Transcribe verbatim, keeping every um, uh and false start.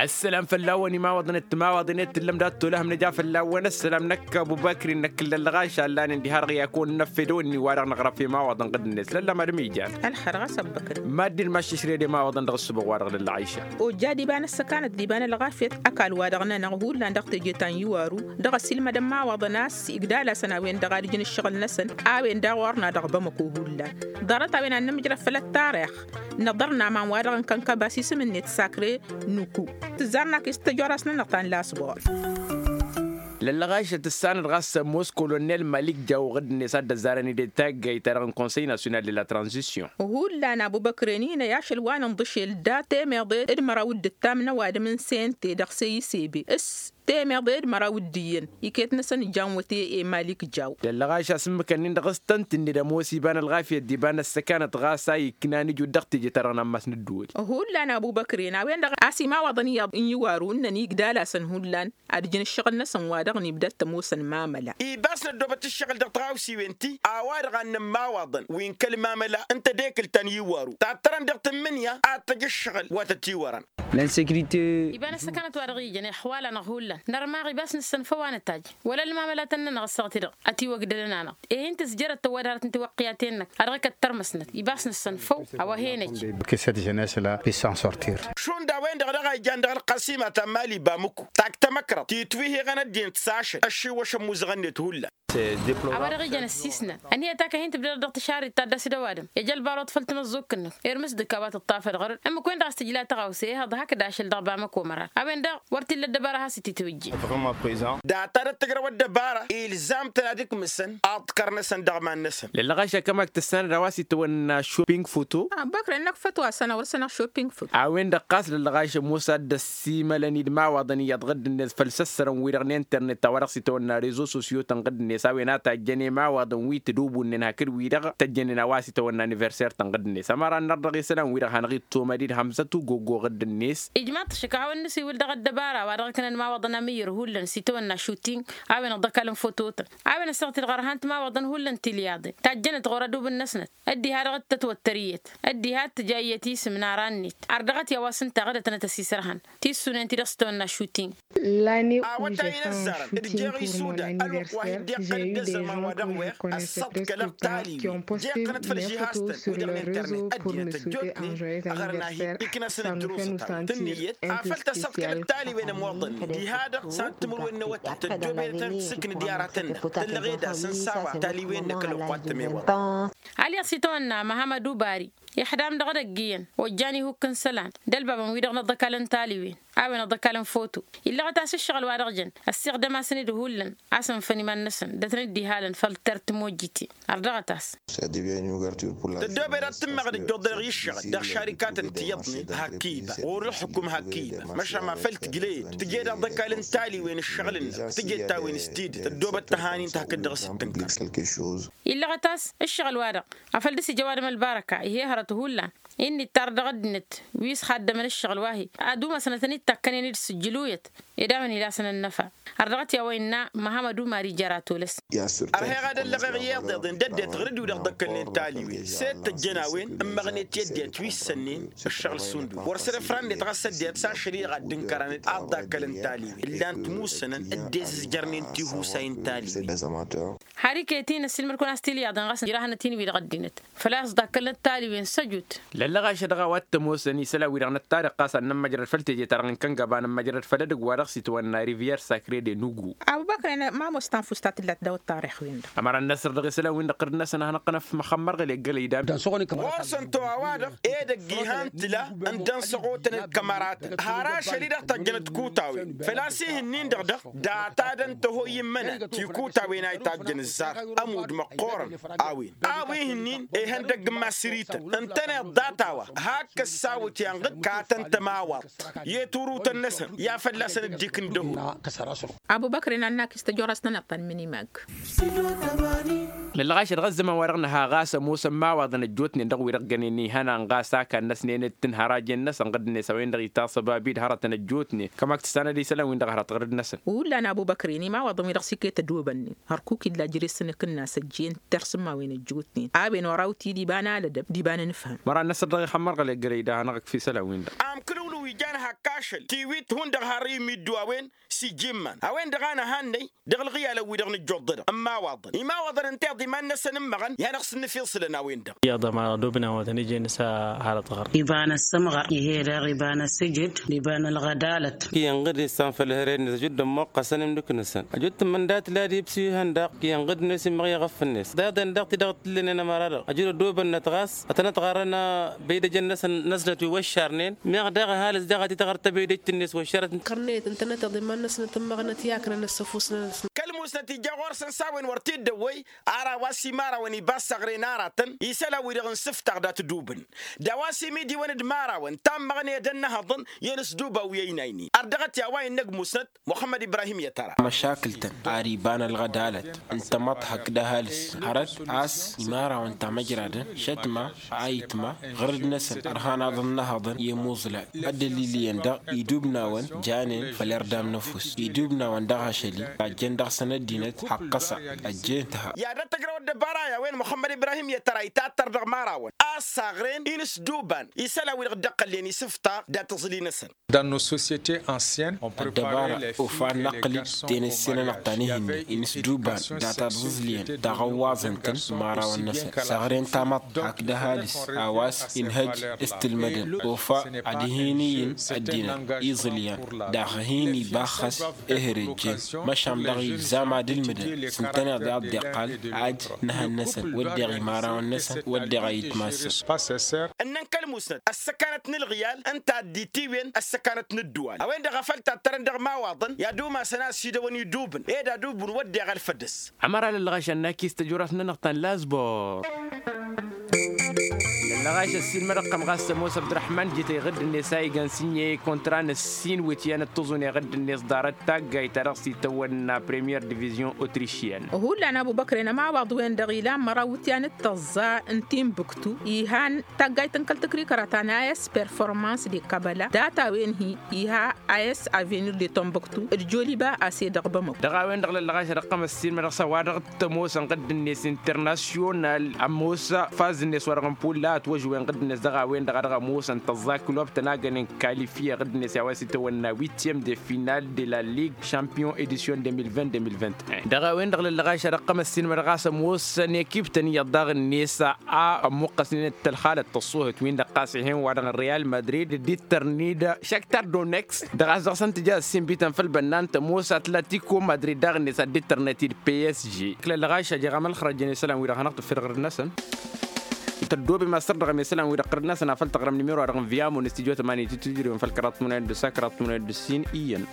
Ăssălam fălla-wăn imawaḍăn d-timawaḍen i-tǝllăm dat-tolăhăm nǝja fălla-wăn ăssălam năkk ăbubăkri năkk ǝllălɣaš allanen diha-dăɣ i-akăwăn n-efed o ǝnni-wa-dăɣ năɣrăf imawaḍăn ɣǝd-net lălla madăm ijan. Ălxer ɣas ăbbăkri. Mad-dd-maššăšred imawaḍăn dăɣ-ǝssǝbăɣ-wa-dăɣ lăllăɣayša. Ojja d-iba n-ăssăkanăt d-iba n-ălɣafyăt ăkall-wa-dăɣ-nănăɣ hullan dăɣ-teje ta n-iwaru dăɣ-ăsilmădăn imawaḍăn a-s igdal-asăn a-wen-dăɣ ad-ǝjǝn ǝššăɣǝl-năsăn. A-wen daɣ orna dăɣ-bamăko hullan ḍarăt a-wen ad-nǝmǝjrăd făll-ăttarix. Năḍărna aman-wa-dăɣ n-kănkăba s-isǝm-net sakre nuku. Tǝzzarnak i-s tăjoras-nănăɣ ta n-lasbor. Lăllăɣašăt ǝssanăt ɣas ămoos kolonel malik jaw ɣǝdd-net ad-dd-ăzzarăn-dd i-taggayt-ta-dăɣ n-konsăy nasyonal de la tranzisyon. Hullan abubăkren-in ăy ašăl wa n-inḍǝšel da temeḍe d-măraw d-ǝttam n-ăwadǝm n-sente dăɣ-seyisebe s-temeḍe d-măraw d-iyyăn iket-năsăn ǝjjan wăte. I-malik jaw. Lăllăɣaš asǝmmǝkăn-in-dăɣ s-tăn-tǝnned ămoos iba n-ălɣafyăt d-iba n-ăssăkanăt ɣas a iknan ǝjud dăɣ-teje-ta-dăɣ n-ammas n-ǝddǝwǝl. Hullan abubăkren a-wen-dăɣ a-s imawaḍăn iyyăḍ n-iwaru ǝnnăn igdal-asăn hullan ad-ǝjǝn ǝššăɣǝl-năsăn wa dăɣ-nibdăt tămoosăn mamăla. Ibas năddoobăt ǝššăɣǝl dăɣ-tiɣawsiwen-ti a-wa-dăɣ a n-nămmawaḍăn wi n-kăl-mamăla n-tedekǝlt ta n-iwaru tattărăn dăɣ-tǝmmǝnǝya ad-tăj ǝššăɣǝl wa tătiwărăn. Lănsekirite. Iba n-ăssăkanăt wa dăɣ-ijăn ixwal-anăɣ hullan nărmaɣ ibas nǝssănfăw a nǝtajj wăla ălmamălatăn-nănăɣ ăssaɣ-ti-dăɣ ătiwăgdădăn-anăɣ. Ihǝn tǝzjărăt tăwadăɣ ad-tăn-tiwăqqǝyat-enăk a dăɣ-ikăt tărmăsnăt ibas nǝssănfăw a-wa hen-ejj. Kǝsset jenes la pis s-sortir. Šund a-wen-dăɣ dăɣ-a-ijjan dăɣ-ălqăsima ta n-mali bamǝku tak tamăkrăḍt titwǝhiɣăn ăddinăt s-ašăl ăššiwăšăn imuzăɣăn-net hullan. A-wa dăɣ-ijăn ăssiisnăn ănhǝyăt a kăhin tǝbdădăɣ dăɣ-tǝšarrit ta dd-asǝdăwadăm ija ălbaruḍ făll-tamăẓẓukt-năk irmǝs d-ǝkka a-wa tǝṭṭafăd ɣur-dd ǝmmǝk-wen-dăɣ a-s tǝjla tăɣawse ihăḍ hakd ašăl dăɣ-bamăko mărar a-wen-dăɣ wăr t-illa ăddăbara a has-ititwǝjje. Data d-ăttăjrăw ăddăbara ilzam-tăn ad-ǝkmǝsăn aḍkăr-năsăn dăɣ-iman-năsăn. Lăllăɣaš akămak tǝssanăd a-wa s-itawănna shopping foto. Băkrăn-năk fătwa săn a wăr-săn-ăɣ shopping foto. A-wen-dăɣ ɣas lăllăɣaš ămoos ad-dd-ăssimălăn-dd imawaḍăn iyyăḍ ɣǝdd-net făll-săssărăn-wi-dăɣ n-internet ta wa dăɣ-s itawănna rezo sosyo-tăn ɣǝdd-net a-wen a tajjăn imawaḍăn wi tǝdubunnen hakd-wi-dăɣ tăjjănen a-wa s-itawănna aniverser-tăn ɣǝdd-net ămăra ănnăr dăɣ-isălan-wi-dăɣ hanăɣ-ittomăd-dd hămzăt ugogo ɣǝdd-net. Ijmaḍ-t šăkk a hawăn-nǝsiwǝl dăɣ-ăddăbara wa dăɣ-ǝknăn imawaḍăn amǝyyăr hullan s-itawănna šuting a-wen-dăɣ d-ăkall n-fototăn a-wen ăssaɣ-t-dd ɣărhan timawaḍăn hullan tilyaḍen tajjănăt ɣur-ădubǝn-năsnăt. Ăddiha dăɣ-t-tătwăttăr iyyăt ăddiha t-tǝja iyyăt isǝm n-aran-net. Ardăɣăt i-a-wa s-ǝnta ɣǝdătăn ad-tăsisărhan tissunen ti-dăɣ s-tawănna šuting. Awătay n-ăzzarăn d-jeɣ isudan ălwăqq wa hi-dd-iqqăn d-ăzzăman wa dăɣ-weɣ ăssăḍkălăɣ taliwen jeɣ-tăn-dd făll-žihaz-tăn wi-dăɣ n-internet ăddinăt ăjjootnen ăɣrăn-ahi iknăsăn ǝjrǝwsăt-a-wen tǝnnǝyăt afăl tăssăḍkălăɣ taliwen ămoḍănnen diha-dăɣ s-ad-tǝmǝrwen n-awătay tăddoobedăt ad-tǝssǝknǝd i-aratăn-năɣ tǝllăɣ ed asǝnsa wa taliwen-năk ălwăqq wa t-tămewăḍ. Alyaḍ s-itawănna măhămăd ubari ixdam dăɣ-edăgg iyyăn ojjan ihukk n-isălan d-ălbabăn-wi-dăɣ n-aḍăkal n-taliwen a-wen aḍăkal n-foto. Illăɣăt a-s ǝššăɣǝl wa dăɣ-jăn ăssiɣdăm-asăn-dd hullan a-s ǝnfăn iman-năsăn dăt-nǝddihălăn făll-tert timojjiten. Ărdăɣăt-as. Tăddoobed ad-tǝmmăɣ d-ǝjjuḍ dăɣ-i ǝššăɣǝl dăɣ-šarikatăn tiyyăḍnen hakk iba ɣur-ǝlxǝkum hakk iba măšan ma făl tǝjlăyed tǝjed aḍăkal n-taliwen ǝššăɣǝl-năk tǝjed ta-wen s-tidǝt tăddoobăt tăhanin-t hakd dăɣ-s dd-tǝnkăr. Illăɣăt a-s ǝššăɣǝl-wa-dăɣ afăl dăr-s ija ăwadǝm ălbarăka ih'-e hărăt hullan. Inn'-dd tarrădăɣ ăddinăt wi s-xaddămăn ǝššăɣǝl wa-hi ad-umasnătăn-dd takkănen d-sǝjjǝluyăt ed a-wen ila-săn ănnăfa. Ărdăɣăt i-a-wa innă măhămăd umar ija ara tolăs. Ărheɣ ad-ăllăɣeɣ iyyăḍ iḍen d-ăddinăt ɣur-dd-wi-dăɣ ḍăkkălnen taliwen s-e-d tăjjăn a-wen ǝmmăɣnet i-ăddinăt wi ǝssănnen ǝššăɣǝl sundul wăr săr-ifrăn-net ɣas ăddinăt s-ašăl-i-dăɣ ad-dd-ǝnkărăn-dd ad-ḍakkălăn taliwen ǝllan-t musănăn dd-ezǝzjărnen tihusa i-n-taliwen. Har iket-in ăssiilmăd-kăwăn-as tilyaḍen ɣas ǝjrahănăt-in wi-dăɣ ăddinăt făl-a-s ḍakkălnăt taliwen săjut. Lăllăɣašăt dăɣ-a-wa t-ămoosăn isălan-wi-dăɣ năttarǝq ɣas ad-nămmăjrăd făll-teje-ta-dăɣ n-kăngăba nămmăjrăd făll-edăgg wa dăɣ-s itwănna rivyer sakre de nugu. Abubăkr ma ămoos tanfust ta tǝllat daw-ăṭṭarix-win-dăɣ. Ămăra n-năsr dăɣ-isălan-win-dăɣ ɣǝrǝd-năsăn ad-hanăɣ-tăn-ăfmăxămmărɣǝl i-ăggălăydam. Ɣur-săn to a-wa-dăɣ edăgg ihan tǝla n-dăɣ-săɣotăn d-kămăratăn har ašăl-i-dăɣ tajjănăt kutawen făl-a-s ih'-ǝnnin-dăɣ dăɣ-data dăɣ-tăhoy immănat tikutawen a itajjăn ǝzzar ămudd măqqoorăn. A-wen a-wa ih'-ǝnnin ihăndăgg n-masǝrităn ǝntăneḍ data-wa hak ăssawăt i-anɣǝd katăn tămawaḍt i-turutăn-năsăn i-ad-fălla-săn dd-ikǝn dăhul. Abubăkr inannak-i s-tăjorast-nănăɣ ta n-imǝnimag. Lălɣašăt ɣas zăman-wa-dăɣ nǝha ɣas ămoosăn imawaḍăn ăjjootnen dăɣ-wi-dăɣ gănen ihănan ɣas a kannăsnen d-tǝnhărajen-năsăn ɣǝd-net a-wen-dăɣ itasăbab-dd hărătăn ăjjootnen kămak tǝssanăd isălan-win-dăɣ hărăt ɣǝrǝd-năsăn. Hullan abubăkr-in imawaḍăn-wi-dăɣ s-iket ădwăbănnen hărkuk illa jere-s n-akǝnnas ăjjeen tărsǝmmawen ăjjootnen a-wen oraw-t-dd iba n-alădăb d-iba n-anǝfhǝm. Măra n-năsăr dăɣ-ixămmărɣăl i-ăggălăy da hanăɣ-ăkf isălan-win-dăɣ. Amkǝlǝwlǝw ijan. Ăkkašăl tiwit hundăɣ har imiddu a-wen s-ijimman a-wen-dăɣ a nǝhannăy dăɣ-ǝlɣǝyalăn-wi-dăɣ nǝjjuḍ-dăɣ n-imawaḍăn imawaḍăn ǝnta iḍiman-năsăn n-imăɣăn i-hanăɣ-s n-nǝfiṣǝlăn a-wen-dăɣ. Iyyăḍ ămăra dubna wa tăn-ijăn s-hărăt ɣăr. Iba n-ăssămɣăr ih'-e daɣ iba n-ăssǝjǝd d-iba n-ălɣădalăt. Iyyăn ɣǝd-i s-anfăl hărăt-net ăjud d-ămmoqqăsăn imdǝk-năsăn ăjud tǝmmǝn dat-lad ibsu ihăndăɣ. Iyyăn ɣǝd-net immăɣ i-iɣăff-net d-iḍen daɣ ti-dăɣ t-tǝllǝnen ămăra-dăɣ ăjud ădobănnăt ɣas ătănăt ɣarăn. Băydăjăn-năsăn n-ăznăt wi wăššarnen meɣ daɣ ăhalǝs daɣ a t-ităɣăr tăbeydăjt-net wăššarăt. Kărnet ǝntănăt iḍimman-năsnăt n-imăɣnăt i-aknăn ăssăfus-năsnăt. Kăl-musnăt ija ɣur-săn s-a-wen wăr t-dd-ăwwăy. Ar a-wa s-imărawăn iba ăssaɣren aratăn isălan-wi-dăɣ n-isǝftaɣ dat-dubǝn d-a-wa s-imidiwăn d-imărawăn tammăɣned ănnăhăḍăn i-inǝsduba wi ăynaynen ar dăɣ-t i-a-wa innă ăgg musnăt muxămmăd ibrahim i-tăra. Măšakǝl-tăn ar iba n-ălɣădalăt n-tamăḍt hakd ăhalǝs hărăt a-s imărawăn tamăjradăn šătma ayǝtma ɣǝrǝd-năsăn ărhan aḍǝnnăhăḍăn i-imuẓlan. Ăddălil iyyăn daɣ idubnawăn janen făll-erdam n-ăfuss idubnawăn dăɣ-ašăl-i. Ajjăn dăɣ-săn ăddinăt haqqăsa ăjjeen tǝha. I-ad-ăttăjrăw ăddăbara i-a-wen muxămmăd ibrahim i-tăra itattăr dăɣ-imărawăn a ăssaɣren inǝsduban isălan-wi-dăɣ dd-ăqqălnen isǝftaɣ dat-tǝẓli-năsăn. Dans nos sociétés anciennes on prepare ăddăbara ofa n-inăqqǝl-dd tenăsse-nănăɣ ta n-ihǝnne inǝsduban data d-aẓǝẓlǝyăn dăɣ-ăwwaẓăn-tăn imărawăn-năsăn săɣren tamăḍt hakd ăhalǝs a-wa s-inhăj s-tǝlmădăn ofa ad-hin-iyyǝn ăddinăt iẓǝlyan daɣ hin-ibaxxăs ehărejjen. Măšan daɣ ilzam ad-ǝlmǝdăn s-ǝntăneḍ i-ad-dd-iqqal ad-nǝhăn-năsăn wădden imărawăn-năsăn wădden ayǝtma-săn. Ǝnnăn kăl-musnăt ăssăkanăt n-ǝlɣǝyal ǝnta a dd-itiwǝyăn ăssăkanăt n-ǝddǝwal a-wen-dăɣ a făl tattărăn dăɣ-imawaḍăn i-ad-umasăn a ăssiidăwăn idubǝn ed ad-ubǝn wădden ălfădăs. Ămăra lăllăɣašăn n-akis tăjurat-nănăɣ ta n-lazbor. Lăllăɣaš ăssiilmăd ăqqăm ɣas ămoos ăbdărăḥman jităy ɣǝdd-net a igan sinye kontra n-ăssin wǝtyan d-tǝẓune ɣǝdd-net ḍarăt taggayt ta dăɣ-s itawănna premier division otrišyan. Hullan ăbubăkren ămawaḍ-wen-dăɣ ilan măraw wǝtyan d-tăẓẓa n-timbuktu ihan taggayt n-kăl-tǝkrikăra ta n-a s performans de kabăla data-wen-hi iha a s avenir de tombuktu d-joliba a s-e-dăɣ bămăk. Dăɣ-a-wen-dăɣ lăllăɣaš ad-ăqqăm ăssiilmăd ɣas a-wa-dăɣ t-ămoosăn ɣǝdd-net internasyonal ămoos faz-net wa dăɣ-n pulla ătwăžwen ɣǝdd-net dăɣ-a-wen-dăɣ a dăɣ-ămoosăn tăẓẓa kilob tănagănen kalifiye ɣǝdd-net i-a-wa s-itawănna witiyem de final de la lig šampiyon edisyon de mil vint de mil vint. Dăɣ-a-wen-dăɣ lăllăɣaš ad-ăqqăm ăssiilmăd ɣas ămoosăn ekip-tăn iyyăḍ daɣ-net a ămmuqqăsnen d-tălxalăt tăṣṣuhăt-win-dăɣ ɣas ih'-en wa dăɣ-real madrid d-ittărnid šaktar donex. Dăɣ-a-s dăɣ-săn tǝja ăssiinbităn făll-bănnan tămoos atlatiko madrid daɣ-net ad-dd-ittărnăt-dd psg. Lălɣaš a jeɣ amălxărăjăn isălan-wi-dăɣ hanăɣ-tǝffirăɣ ɣǝrǝd-năsăn. Tăddoobem a sărdăɣăm isălan-wi-dăɣ ɣǝrǝd-năsăn a făl tăɣrăm nimero-wa-dăɣ n-viamo n-istijyo tămani titǝjrewăn făll-kăraḍ tmănăyăt d-ǝssa kăraḍ tmănăyăt d-ǝssin iyyăn.